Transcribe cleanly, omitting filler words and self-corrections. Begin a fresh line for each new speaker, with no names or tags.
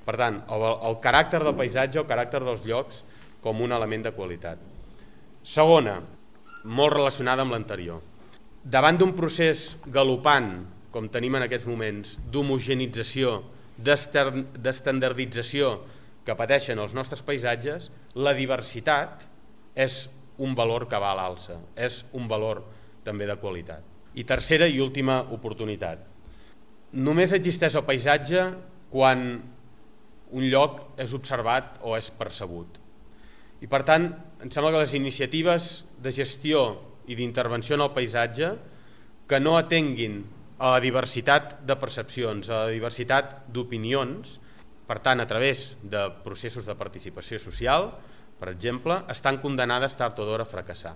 Per tant, el caràcter del paisatge, el caràcter dels llocs com un element de qualitat. Segona, molt relacionada amb l'anterior. Davant d'un procés galopant, com tenim en aquests moments, d'homogenització, d'estandardització que pateixen els nostres paisatges, la diversitat és un valor que va a l'alça, és un valor també de qualitat. I tercera i última oportunitat. Només existeix el paisatge quan un lloc és observat o és percebut. I per tant, em sembla que les iniciatives de gestió i d'intervenció en el paisatge que no atenguin a la diversitat de percepcions, a la diversitat d'opinions, per tant, a través de processos de participació social, per exemple, estan condenades tard o d'hora a fracassar.